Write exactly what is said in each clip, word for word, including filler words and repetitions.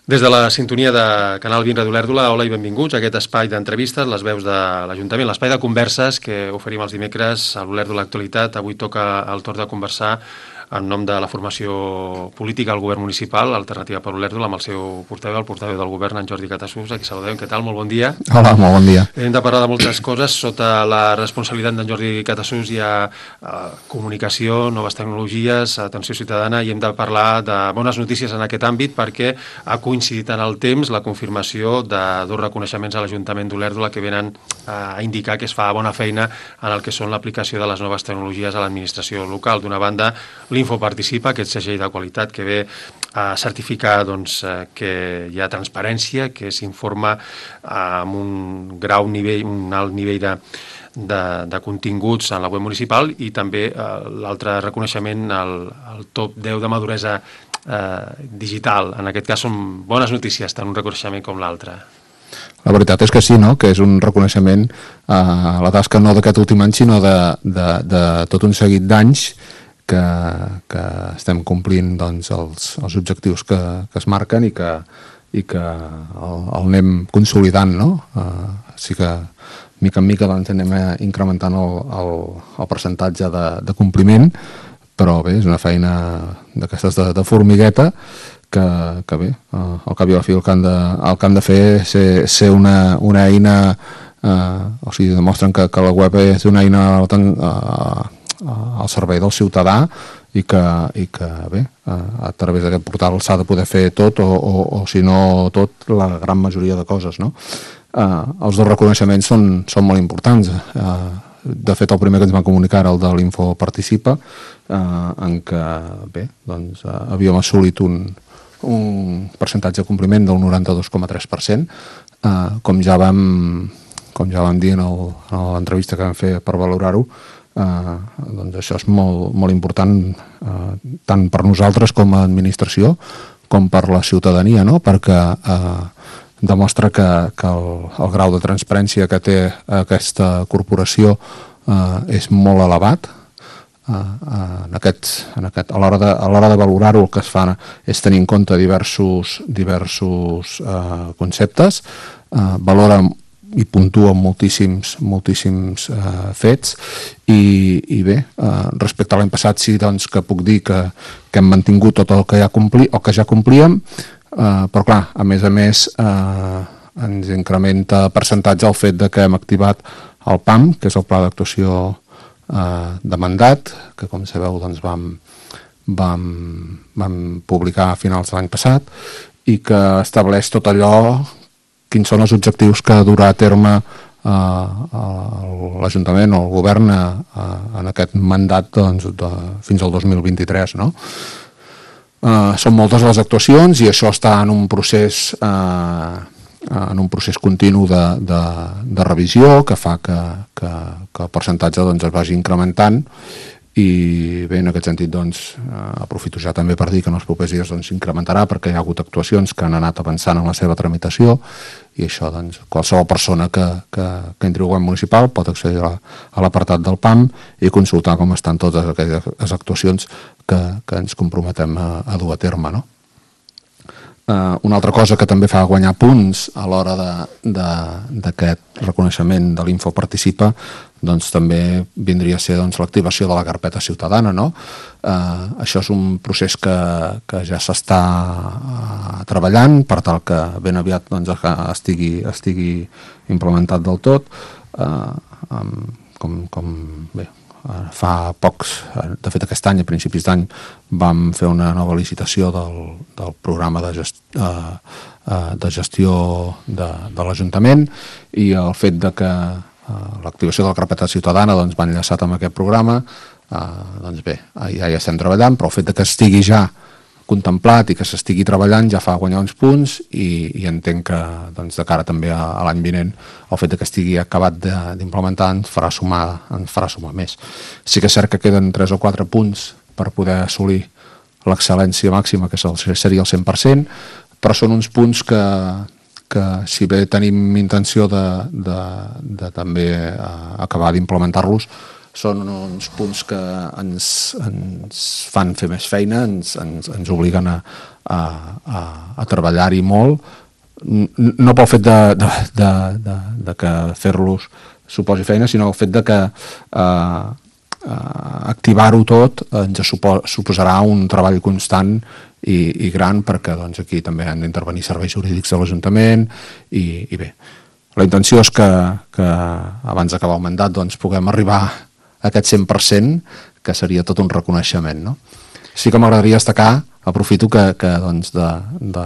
Des de la sintonia de Canal vint Ràdio Olèrdola, hola i benvinguts a aquest espai d'entrevistes, les veus de l'Ajuntament, l'espai de converses que oferim els dimecres a l'Olèrdola Actualitat. Avui toca el torn de conversar en nom de la formació política al govern municipal, Alternativa per Olèrdola, amb el seu portaveu, el portaveu del govern, en Jordi Catasús, a qui saludem. Què tal? Molt bon dia. Hola, molt bon dia. Hem de parlar de moltes coses. Sota la responsabilitat d'en Jordi Catasús hi ha eh, comunicació, noves tecnologies, atenció ciutadana, i hem de parlar de bones notícies en aquest àmbit perquè ha coincidit en el temps la confirmació de dos reconeixements a l'Ajuntament d'Olèrdola que venen a indicar que es fa bona feina en el que són l'aplicació de les noves tecnologies a l'administració local. D'una banda, l'Info Participa, aquest segell de qualitat que ve a certificar doncs, que hi ha transparència, que s'informa amb un grau nivell, un alt nivell de, de, de continguts en la web municipal, i també eh, l'altre reconeixement, el, el top deu de maduresa eh, digital. En aquest cas són bones notícies, tant un reconeixement com l'altre. La veritat és que sí, no? Que és un reconeixement a la tasca no d'aquest últim any, sinó de, de, de tot un seguit d'anys que, que estem complint doncs, els, els objectius que, que es marquen i que, i que el, el anem consolidant, no? Uh, sí que mica en mica doncs, anem incrementant el, el, el percentatge de, de compliment, però bé, és una feina d'aquestes de, de formigueta que, que bé, uh, al cap i a la fi el que han de, el que han de fer és ser, ser una, una eina, uh, o sigui, demostren que, que la web és una eina uh, al servei del ciutadà i que, i que bé, a través d'aquest portal s'ha de poder fer tot o, o, o si no tot, la gran majoria de coses, no? Uh, els dos reconeixements són, són molt importants. Uh, de fet, el primer que ens van comunicar era el de l'Info Participa, uh, en què bé, doncs, uh, havíem assolit un, un percentatge de compliment del noranta-dos coma tres per cent. Uh, com ja vam com ja vam dir en l'entrevista que vam fer per valorar-ho, Uh, doncs això és molt, molt important, uh, tant per nosaltres com a administració com per la ciutadania, no? Perquè uh, demostra que, que el, el grau de transparència que té aquesta corporació uh, és molt elevat. Uh, uh, en aquest, en aquest, a l'hora de, a l'hora de valorar-ho, el que es fa és tenir en compte diversos, diversos uh, conceptes, uh, valora i puntua moltíssims, moltíssims uh, fets i, i bé, uh, respecte a l'any passat sí doncs, que puc dir que, que hem mantingut tot el que ja, compli, el que ja complíem, uh, però clar, a més a més uh, ens incrementa percentatge el fet de que hem activat el P A M, que és el Pla d'Actuació uh, de Mandat, que com sabeu doncs, vam, vam, vam publicar a finals de l'any passat i que estableix tot allò, quins són els objectius que durà a terme eh, l'Ajuntament o el Govern eh, en aquest mandat doncs, de, fins al dos mil vint-i-tres. No? Eh, són moltes les actuacions i això està en un procés, eh, en un procés continu de, de, de revisió que fa que, que, que el percentatge doncs, es vagi incrementant. I bé, en aquest sentit, doncs, eh, aprofito ja també per dir que en els propers dies doncs, s'incrementarà perquè hi ha hagut actuacions que han anat avançant en la seva tramitació i això, doncs, qualsevol persona que, que, que entri al govern municipal pot accedir a, a l'apartat del P A M i consultar com estan totes aquelles actuacions que, que ens comprometem a, a dur a terme, no? Uh, una altra cosa que també fa guanyar punts a l'hora d'aquest reconeixement de l'Info Participa doncs també vindria a ser doncs, l'activació de la carpeta ciutadana, no? Uh, això és un procés que, que ja s'està uh, treballant per tal que ben aviat doncs, estigui, estigui implementat del tot. Uh, um, com, com bé, fa pocs, de fet aquest any, a principis d'any, vam fer una nova licitació del, del programa de, gest, uh, uh, de gestió de, de l'Ajuntament i el fet de que uh, l'activació de la carpeta ciutadana doncs, va enllaçat amb aquest programa, uh, doncs bé, ja hi estem treballant, però el fet de que estigui ja contemplat i que s'estigui treballant ja fa guanyar uns punts i, i entenc que doncs, de cara també a, a l'any vinent el fet de que estigui acabat d'implementar ens farà sumar, ens farà sumar més. Sí que és cert que queden tres o quatre punts per poder assolir l'excel·lència màxima, que seria el cent per cent, però són uns punts que, que si bé tenim intenció de, de, de també uh, acabar d'implementar-los, són uns punts que ens, ens fan fer més feina, ens, ens, ens obliguen a, a, a, a treballar-hi molt, no pel fet de, de, de, de, de que fer-los suposi feina, sinó el fet de que eh, eh, activar-ho tot ens supo, suposarà un treball constant i, i gran, perquè doncs, aquí també han d'intervenir serveis jurídics de l'Ajuntament i, i bé, la intenció és que, que abans d'acabar el mandat doncs, puguem arribar a aquest cent per cent, que seria tot un reconeixement, no? Sí que m'agradaria destacar, aprofito que, que doncs, de, de,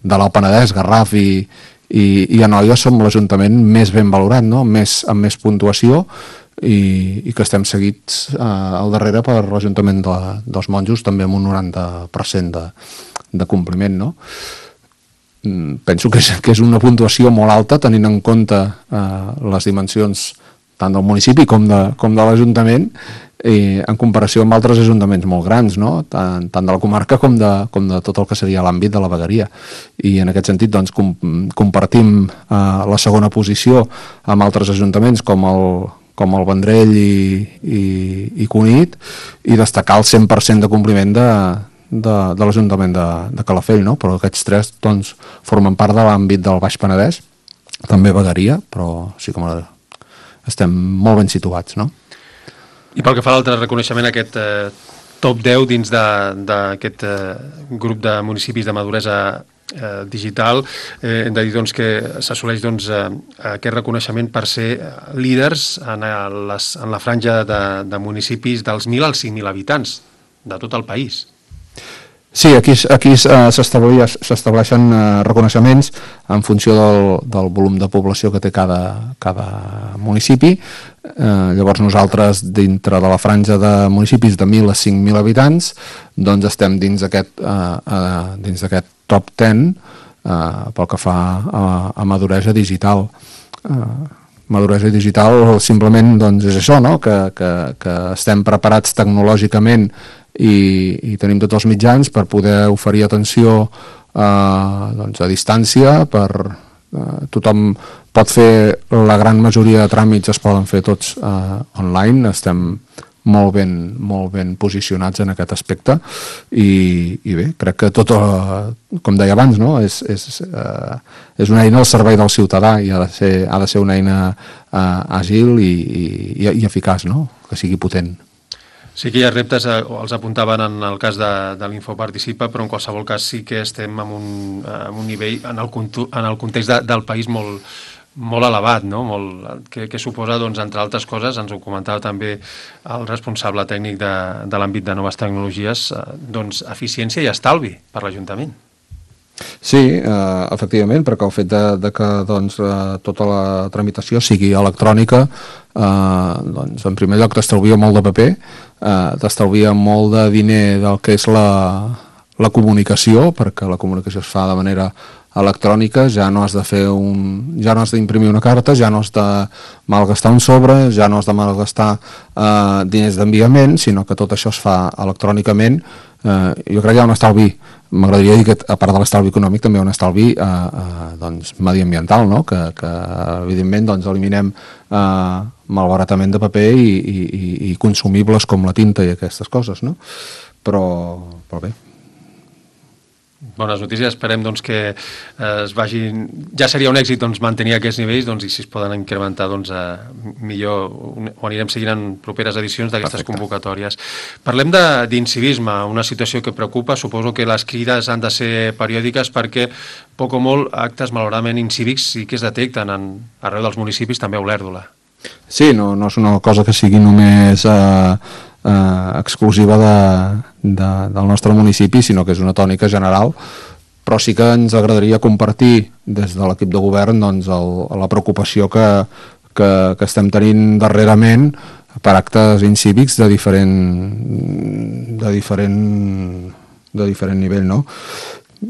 de l'Alt Penedès, Garraf i, i, i Anoia som l'Ajuntament més ben valorat, no? més, amb més puntuació, i, i que estem seguits eh, al darrere per l'Ajuntament de, dels Monjos, també amb un noranta per cent de, de compliment, no? Penso que és, que és una puntuació molt alta, tenint en compte eh, les dimensions tant del municipi com de, com de l'Ajuntament, i en comparació amb altres ajuntaments molt grans, no? tant, tant de la comarca com de, com de tot el que seria l'àmbit de la vegueria. I en aquest sentit doncs, com, compartim eh, la segona posició amb altres ajuntaments com el, com el Vendrell i, i, i Cunit, i destacar el cent per cent de compliment de, de, de l'Ajuntament de, de Calafell, no? Però aquests tres doncs, formen part de l'àmbit del Baix Penedès, també vegueria, però sí que estem molt ben situats, no? I pel que fa a l'altre reconeixement, aquest eh, top deu dins d'aquest eh, grup de municipis de maduresa eh, digital, eh, hem de dir doncs, que s'assoleix doncs, eh, aquest reconeixement per ser líders en, les, en la franja de, de municipis dels mil als cinc mil habitants de tot el país. Sí, aquí, aquí uh, s'estableixen uh, reconeixements en funció del, del volum de població que té cada, cada municipi. Uh, llavors nosaltres, dintre de la franja de municipis de mil a cinc mil habitants, doncs estem dins aquest, uh, uh, dins d'aquest top deu uh, pel que fa a, a maduresa digital. Uh, maduresa digital simplement doncs, és això, no? que, que, que estem preparats tecnològicament I, i tenim tots els mitjans per poder oferir atenció eh, doncs a distància, per eh, tothom pot fer, la gran majoria de tràmits es poden fer tots eh, online, estem molt ben, molt ben posicionats en aquest aspecte i, i bé, crec que tot, eh, com deia abans, no? és, és, eh, és una eina al servei del ciutadà i ha de ser, ha de ser una eina eh, àgil i, i, i eficaç, no? Que sigui potent. Sí que hi ha reptes, eh, els apuntaven en el cas de, de l'Infoparticipa, però en qualsevol cas sí que estem en un, en un nivell, en el, en el context de, del país molt, molt elevat, no? molt, que, que suposa, doncs, entre altres coses, ens ho comentava també el responsable tècnic de, de l'àmbit de noves tecnologies, eh, doncs, eficiència i estalvi per l'Ajuntament. Sí, eh, efectivament, perquè el fet de, de que doncs, eh, tota la tramitació sigui electrònica, eh, doncs, en primer lloc t'estalvia molt de paper, eh, t'estalvia molt de diner del que és la, la comunicació, perquè la comunicació es fa de manera electrònica, ja no has de fer un, ja no has d'imprimir una carta, ja no has de malgastar un sobre, ja no has de malgastar eh, diners d'enviament, sinó que tot això es fa electrònicament. Eh, jo crec que hi ha un estalvi, m'agradaria dir que a part de l'estalvi econòmic també hi ha un estalvi eh, eh, doncs, mediambiental, no? que, que evidentment doncs, eliminem eh, malbaratament de paper i, i, i consumibles com la tinta i aquestes coses, no? però, però bé. Bones notícies, esperem doncs, que eh, es vagin... Ja seria un èxit doncs, mantenir aquests nivells doncs, i si es poden incrementar doncs, eh, millor, ho anirem seguint en properes edicions d'aquestes convocatòries. Parlem d'incivisme, una situació que preocupa. Suposo que les crides han de ser periòdiques perquè poc o molt actes malauradament incívics sí que es detecten en, arreu dels municipis, també a Olèrdola. Sí, no, no és una cosa que sigui només eh, eh, exclusiva de, de, del nostre municipi, sinó que és una tònica general, però sí que ens agradaria compartir des de l'equip de govern doncs, el, la preocupació que, que, que estem tenint darrerament per actes incívics de diferent, de diferent, de diferent nivell, no?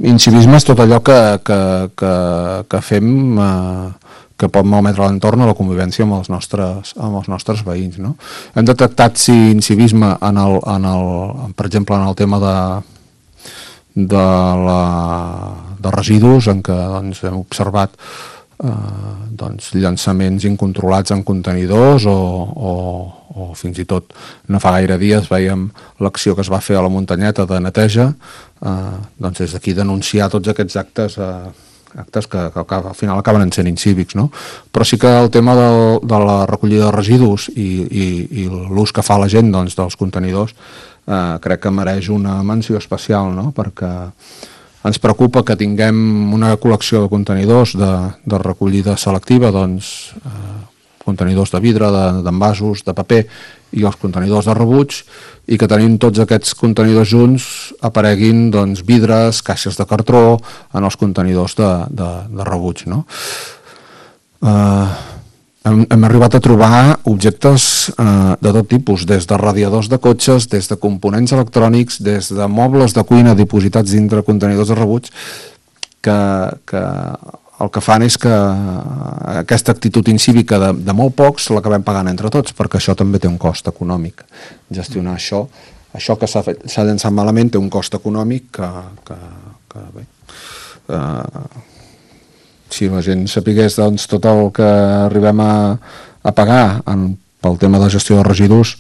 Incivisme és tot allò que, que, que, que fem... Eh, que pot malmetre l'entorn a la convivència amb els nostres, amb els nostres veïns. No? Hem detectat si incivisme, en el, en el, per exemple, en el tema de, de, la, de residus, en què doncs, hem observat eh, doncs, llançaments incontrolats en contenidors o, o, o fins i tot no fa gaire dies veiem l'acció que es va fer a la muntanyeta de neteja, eh, doncs des d'aquí denunciar tots aquests actes eh, actes que, que, que al final acaben sent incívics, no? Però sí que el tema de, de la recollida de residus i, i, i l'ús que fa la gent doncs, dels contenidors eh, crec que mereix una menció especial, no? Perquè ens preocupa que tinguem una col·lecció de contenidors de, de recollida selectiva, doncs eh, contenidors de vidre, d'envasos, de, de paper i els contenidors de rebuig, i que tenim tots aquests contenidors junts apareguin doncs, vidres, caixes de cartró en els contenidors de, de, de rebuig, no? Eh, hem, hem arribat a trobar objectes eh, de tot tipus, des de radiadors de cotxes, des de components electrònics, des de mobles de cuina dipositats dintre contenidors de rebuig, que, que el que fan és que aquesta actitud incívica de, de molt pocs l'acabem pagant entre tots, perquè això també té un cost econòmic. Gestionar això, això que s'ha fet, s'ha llançat malament té un cost econòmic que, que, que bé, eh, si la gent sapigués doncs, tot el que arribem a, a pagar en, pel tema de gestió de residus,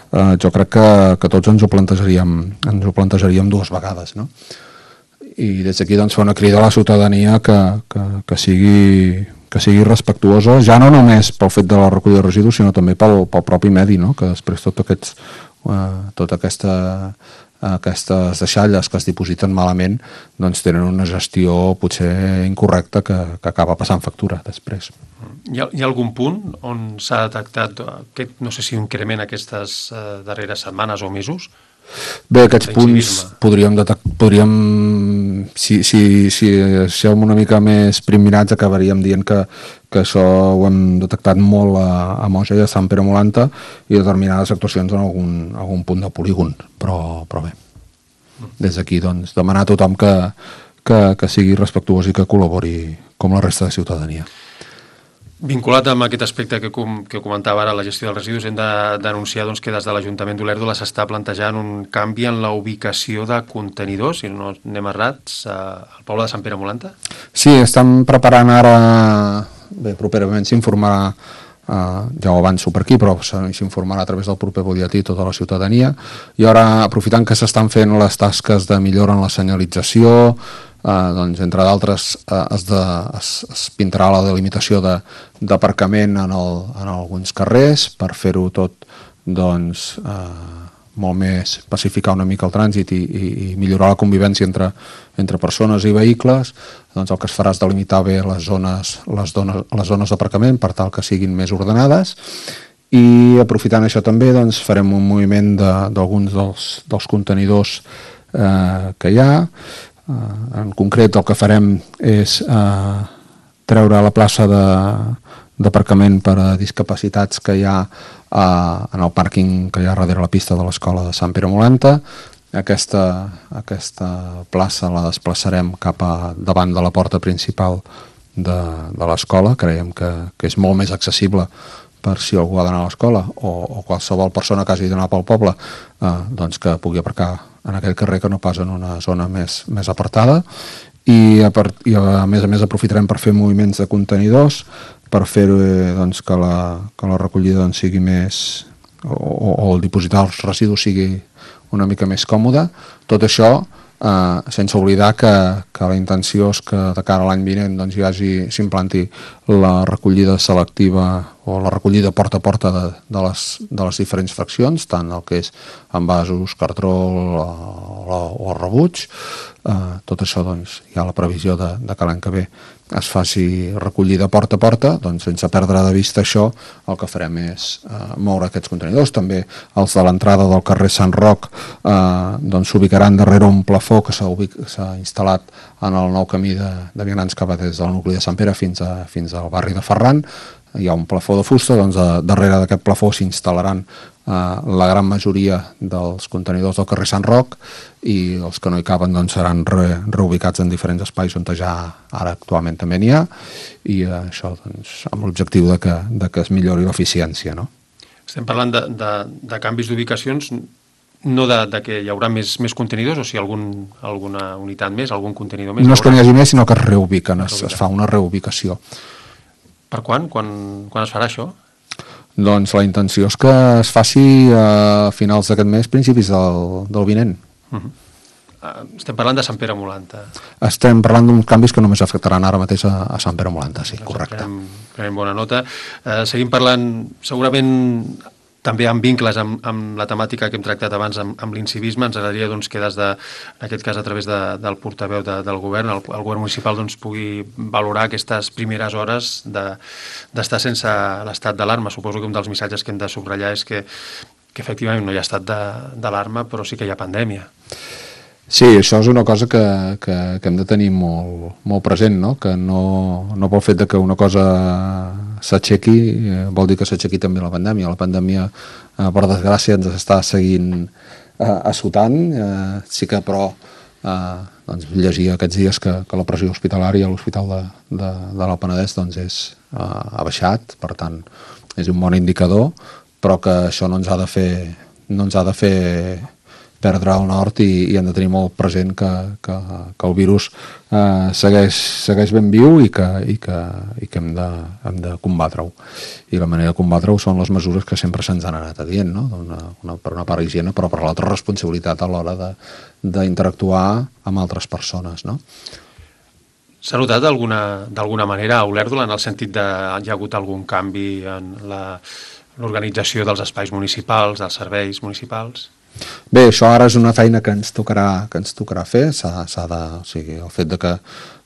eh, jo crec que, que tots ens ho plantejaríem, ens ho plantejaríem dues vegades, no? I des d'aquí doncs, fa una crida a la ciutadania que, que, que, sigui, que sigui respectuosa, ja no només pel fet de la recollida de residus, sinó també pel, pel propi medi, no? Que després tot aquests, eh, tota aquesta, aquestes deixalles que es dipositen malament doncs tenen una gestió potser incorrecta que, que acaba passant factura després. Hi ha, hi ha algun punt on s'ha detectat aquest, no sé si un increment aquestes eh, darreres setmanes o mesos? Bé, aquests punts podríem, podríem si, si, si som una mica més primirats acabaríem dient que, que això ho hem detectat molt a, a Moja i a Sant Pere Molanta i determinades actuacions en algun, algun punt de polígon, però, però bé, des d'aquí doncs, demanar a tothom que, que, que sigui respectuós i que col·labori com la resta de ciutadania. Vinculat amb aquest aspecte que, com, que comentava ara, la gestió dels residus, hem de denunciar doncs, que des de l'Ajuntament d'Olèrdola s'està plantejant un canvi en la ubicació de contenidors, si no anem errats, al poble de Sant Pere Molanta? Sí, estem preparant ara, bé, properament s'informarà, eh, ja ho avanço per aquí, però s'informarà a través del proper butlletí tota la ciutadania, i ara, aprofitant que s'estan fent les tasques de millora en la senyalització, Uh, doncs, entre d'altres uh, es, de, es, es pintarà la delimitació d'aparcament en, el, en alguns carrers per fer-ho tot doncs, uh, molt més pacificar una mica el trànsit i, i, i millorar la convivència entre, entre persones i vehicles. Doncs el que es farà és delimitar bé les zones, les zones, les zones d'aparcament per tal que siguin més ordenades, i aprofitant això també doncs, farem un moviment d'alguns de, dels, dels contenidors uh, que hi ha. Uh, en concret el que farem és uh, treure la plaça d'aparcament per a discapacitats que hi ha uh, en el pàrquing que hi ha darrere la pista de l'escola de Sant Pere Molanta. Aquesta, aquesta plaça la desplaçarem cap a davant de la porta principal de, de l'escola. Creiem que, que és molt més accessible per si algú ha d'anar a l'escola o, o qualsevol persona que hagi d'anar pel poble uh, doncs que pugui aparcar en aquell carrer que no pas en una zona més, més apartada, i a, part, i a més a més aprofitarem per fer moviments de contenidors per fer eh, doncs, que, la, que la recollida doncs, sigui més o, o el dipositar els residus sigui una mica més còmode. Tot això eh, sense oblidar que, que la intenció és que de cara a l'any vinent doncs, hi hagi, s'implanti la recollida selectiva o la recollida porta a porta de, de, les, de les diferents fraccions, tant el que és envasos, cartró o, o el rebuig. Eh, tot això doncs, hi ha la previsió de, de que l'any que ve es faci recollida porta a porta, doncs sense perdre de vista això, el que farem és eh, moure aquests contenidors. També els de l'entrada del carrer Sant Roc eh, doncs, s'ubicaran darrere un plafó que s'ha instal·lat en el nou camí de, de vianants que va des del nucli de Sant Pere fins, a, fins al barri de Ferran. Hi ha un plafó de fusta, doncs a, darrere d'aquest plafó s'instal·laran eh, la gran majoria dels contenidors del carrer Sant Roc, i els que no hi caben doncs, seran re, reubicats en diferents espais on ja ara actualment també n'hi ha, i eh, això doncs, amb l'objectiu de, que, de que es millori l'eficiència, no? Estem parlant de, de, de canvis d'ubicacions, no de, de que hi haurà més, més contenidors, o si algun, alguna unitat més, algun contenidor més? No és que n'hi hagi més, sinó que es reubiquen, es, es fa una reubicació. Per quan? Quan, quan es farà això? Doncs la intenció és que es faci a finals d'aquest mes, principis del, del vinent. Uh-huh. Estem parlant de Sant Pere Molanta. Estem parlant d'uns canvis que només afectaran ara mateix a, a Sant Pere Molanta, sí, correcte. Prenem, prenem bona nota. Eh, seguim parlant, segurament també amb vincles amb, amb la temàtica que hem tractat abans amb, amb l'incivisme. Ens agradaria doncs, que des de, en aquest cas a través de, del portaveu de, del govern, el, el govern municipal doncs, pugui valorar aquestes primeres hores d'estar de, sense l'estat d'alarma. Suposo que un dels missatges que hem de subratllar és que, que efectivament no hi ha estat d'alarma, però sí que hi ha pandèmia. Sí, això és una cosa que, que, que hem de tenir molt, molt present, no? Que no, no pel fet de que una cosa s'aixequi eh, vol dir que s'aixequi també la pandèmia. La pandèmia, eh, per desgràcia, ens està seguint eh, assotant, eh, sí que però eh, doncs, llegia aquests dies que, que la pressió hospitalària a l'Hospital de, de, de l'Alt Penedès doncs, és, eh, ha baixat, per tant, és un bon indicador, però que això no ens ha de fer, no ens ha de fer perdre el nord i, i hem de tenir molt present que, que, que el virus eh, segueix, segueix ben viu i que, i que, i que hem de, hem de combatre-ho. I la manera de combatre-ho són les mesures que sempre se'ns han anat dient, no? Una, una, per una part higiene, però per l'altra responsabilitat a l'hora d'interactuar amb altres persones, no? S'ha notat d'alguna manera a Olèrdola en el sentit de hi ha hagut algun canvi en l'organització dels espais municipals, dels serveis municipals? Bé, això ara és una feina que ens tocarà, que ens tocarà fer. S'ha, s'ha de, o sigui, el fet de que,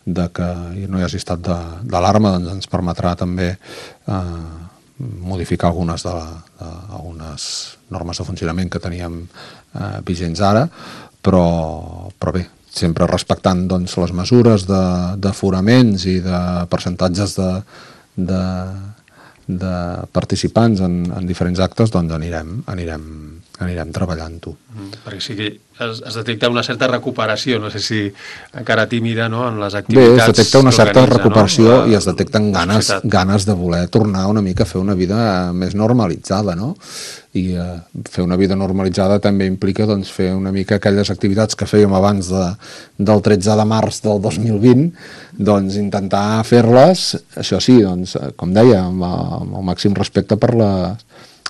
de que no hi hagi estat d'alarma doncs ens permetrà també eh, modificar algunes, de la, de, algunes normes de funcionament que teníem eh, vigents ara, però, però bé, sempre respectant doncs, les mesures d'aforaments i de percentatges de, de, de participants en, en diferents actes, doncs anirem, anirem anirem treballant-ho. Mm, perquè sí que es, es detecta una certa recuperació, no sé si encara tímida, no?, en les activitats. Bé, es detecta una certa recuperació, no? La, I es detecten ganes, ganes de voler tornar una mica a fer una vida més normalitzada, no? I eh, fer una vida normalitzada també implica doncs, fer una mica aquelles activitats que fèiem abans de, del tretze de març del dos mil vint, doncs intentar fer-les, això sí, doncs, com deia, amb, amb el màxim respecte per les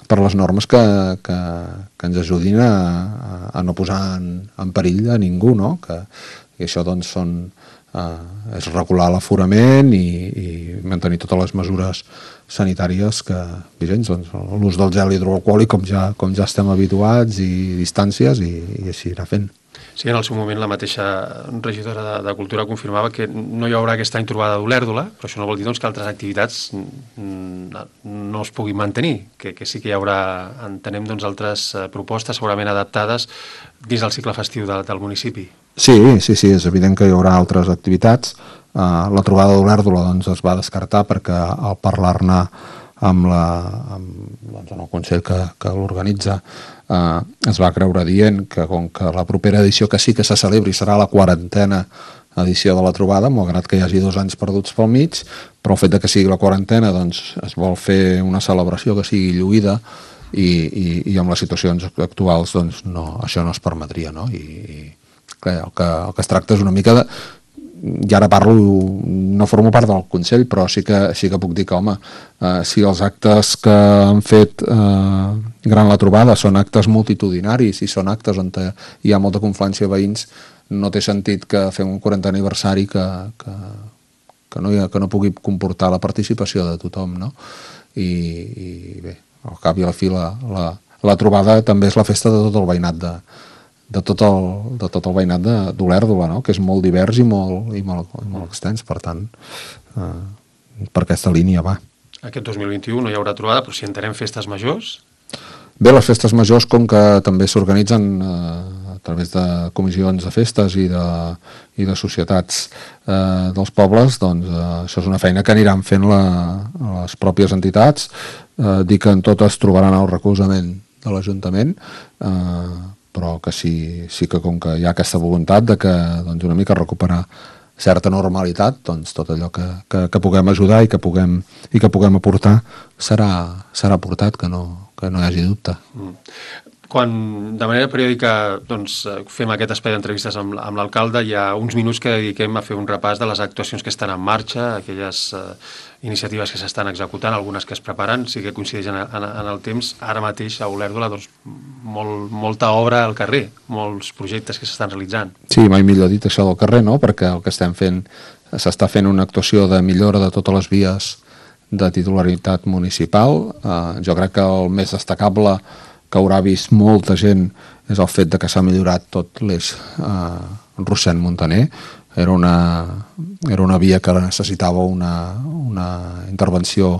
per les normes que, que, que ens ajudin a, a no posar en, en perill a ningú, no? Que, i això doncs són, eh, és regular l'aforament i, i mantenir totes les mesures sanitàries que vigents, doncs, l'ús del gel hidroalcohòlic com ja, com ja estem habituats i distàncies i, i així anar fent. Sí, en el seu moment la mateixa regidora de, de Cultura confirmava que no hi haurà aquest any trobada d'Olèrdola, però això no vol dir doncs, que altres activitats no es puguin mantenir, que, que sí que hi haurà, entenem, doncs, altres propostes segurament adaptades dins del cicle festiu de, del municipi. Sí, sí, sí, és evident que hi haurà altres activitats. Uh, la trobada d'Olèrdola doncs, es va descartar perquè al parlar-ne amb, la, amb doncs, en el Consell que, que l'organitza eh, es va creure dient que com que la propera edició que sí que se celebri serà la quarantena edició de la trobada, malgrat que hi hagi dos anys perduts pel mig, però el fet de que sigui la quarantena doncs, es vol fer una celebració que sigui lluïda i, i, i amb les situacions actuals doncs, no, això no es permetria, no? I, i clar, el, que, el que es tracta és una mica de... I ara parlo, no formo part del Consell, però sí que, sí que puc dir que, home, eh, si els actes que han fet eh, gran la trobada són actes multitudinaris i són actes on hi ha molta confluència de veïns, no té sentit que fem un quarantè aniversari que, que, que, no, ha, que no pugui comportar la participació de tothom, no? I, i bé, al cap i a la fi la, la, la trobada també és la festa de tot el veïnat de de tot el, de tot el veïnat d'Olèrdola, no? Que és molt divers i molt, i molt, i molt extens, per tant, eh, per aquesta línia va. Aquest dos mil vint-i-u no hi haurà trobada, però si entenem festes majors... Bé, les festes majors, com que també s'organitzen eh, a través de comissions de festes i de, i de societats eh, dels pobles, doncs eh, això és una feina que aniran fent la, les pròpies entitats, eh, dir que en totes trobaran el recolzament de l'Ajuntament, eh, però que sí, sí que com que hi ha aquesta voluntat de que doncs, una mica recuperar certa normalitat, doncs tot allò que, que, que puguem ajudar i que puguem, i que puguem aportar serà, serà aportat, que no, que no hi hagi dubte. Mm. quan de manera periòdica doncs, fem aquest espai d'entrevistes amb, amb l'alcalde, hi ha uns minuts que dediquem a fer un repàs de les actuacions que estan en marxa, aquelles eh, iniciatives que s'estan executant, algunes que es preparen, sí que coincideix en, en, en el temps. Ara mateix a Olèrdola doncs, molt, molta obra al carrer, molts projectes que s'estan realitzant. Sí, mai millor dit això del carrer, no? Perquè el que estem fent, s'està fent una actuació de millora de totes les vies de titularitat municipal. Eh, jo crec que el més destacable que haurà vist molta gent és el fet de que s'ha millorat tot l'eix eh, Rossend-Montaner. Era una, era una via que necessitava una, una intervenció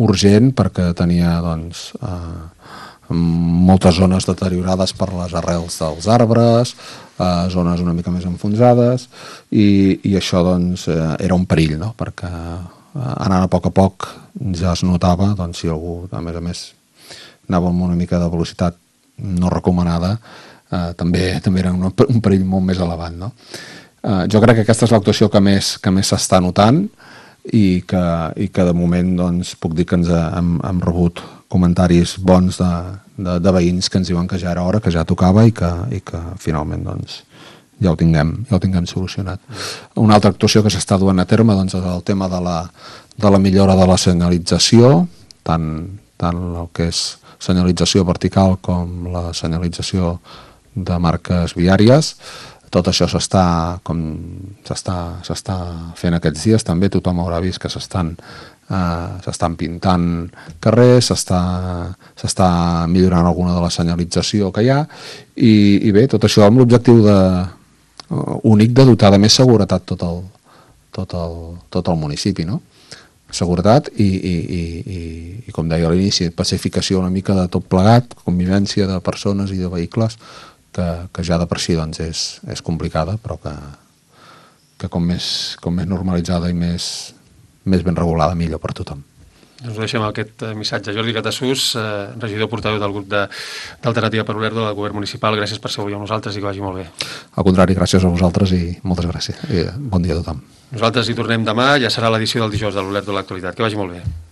urgent perquè tenia doncs, eh, moltes zones deteriorades per les arrels dels arbres, eh, zones una mica més enfonsades, i, i això doncs, eh, era un perill, no? Perquè eh, anant a poc a poc ja es notava, doncs, si algú, a més a més, anava amb una mica de velocitat no recomanada, eh, també, també era un, un perill molt més elevat, no? Eh, jo crec que aquesta és l'actuació que més, que més s'està notant i que, i que de moment doncs, puc dir que ens hem, hem rebut comentaris bons de, de, de veïns que ens diuen que ja era hora, que ja tocava i que, i que finalment doncs, ja ho tinguem, ja ho tinguem solucionat. Una altra actuació que s'està duent a terme doncs, és el tema de la, de la millora de la senyalització, tant, tant el que és senyalització vertical com la senyalització de marques viàries. Tot això s'està com s'està s'està fent aquests dies. També tothom haurà vist que s'estan eh, s'estan pintant carrers, s'està s'està millorant alguna de la senyalització que hi ha i, i bé, tot això amb l'objectiu de, uh, únic de dotar de més seguretat tot el, tot el, tot el municipi, no? Seguretat i, i, i, i, i com deia a l'inici, pacificació una mica de tot plegat, convivència de persones i de vehicles, que, que ja de per si doncs, és, és complicada, però que, que com, més, com més normalitzada i més, més ben regulada, millor per tothom. Doncs ho deixem aquest missatge. Jordi Catasús, eh, regidor portaveu del grup d'Alternativa per Olèrdola del Govern Municipal, gràcies per ser avui amb nosaltres i que vagi molt bé. Al contrari, gràcies a vosaltres i moltes gràcies. I bon dia a tothom. Nosaltres hi tornem demà, ja serà l'edició del dijous de l'Olèrdola de l'Actualitat. Que vagi molt bé.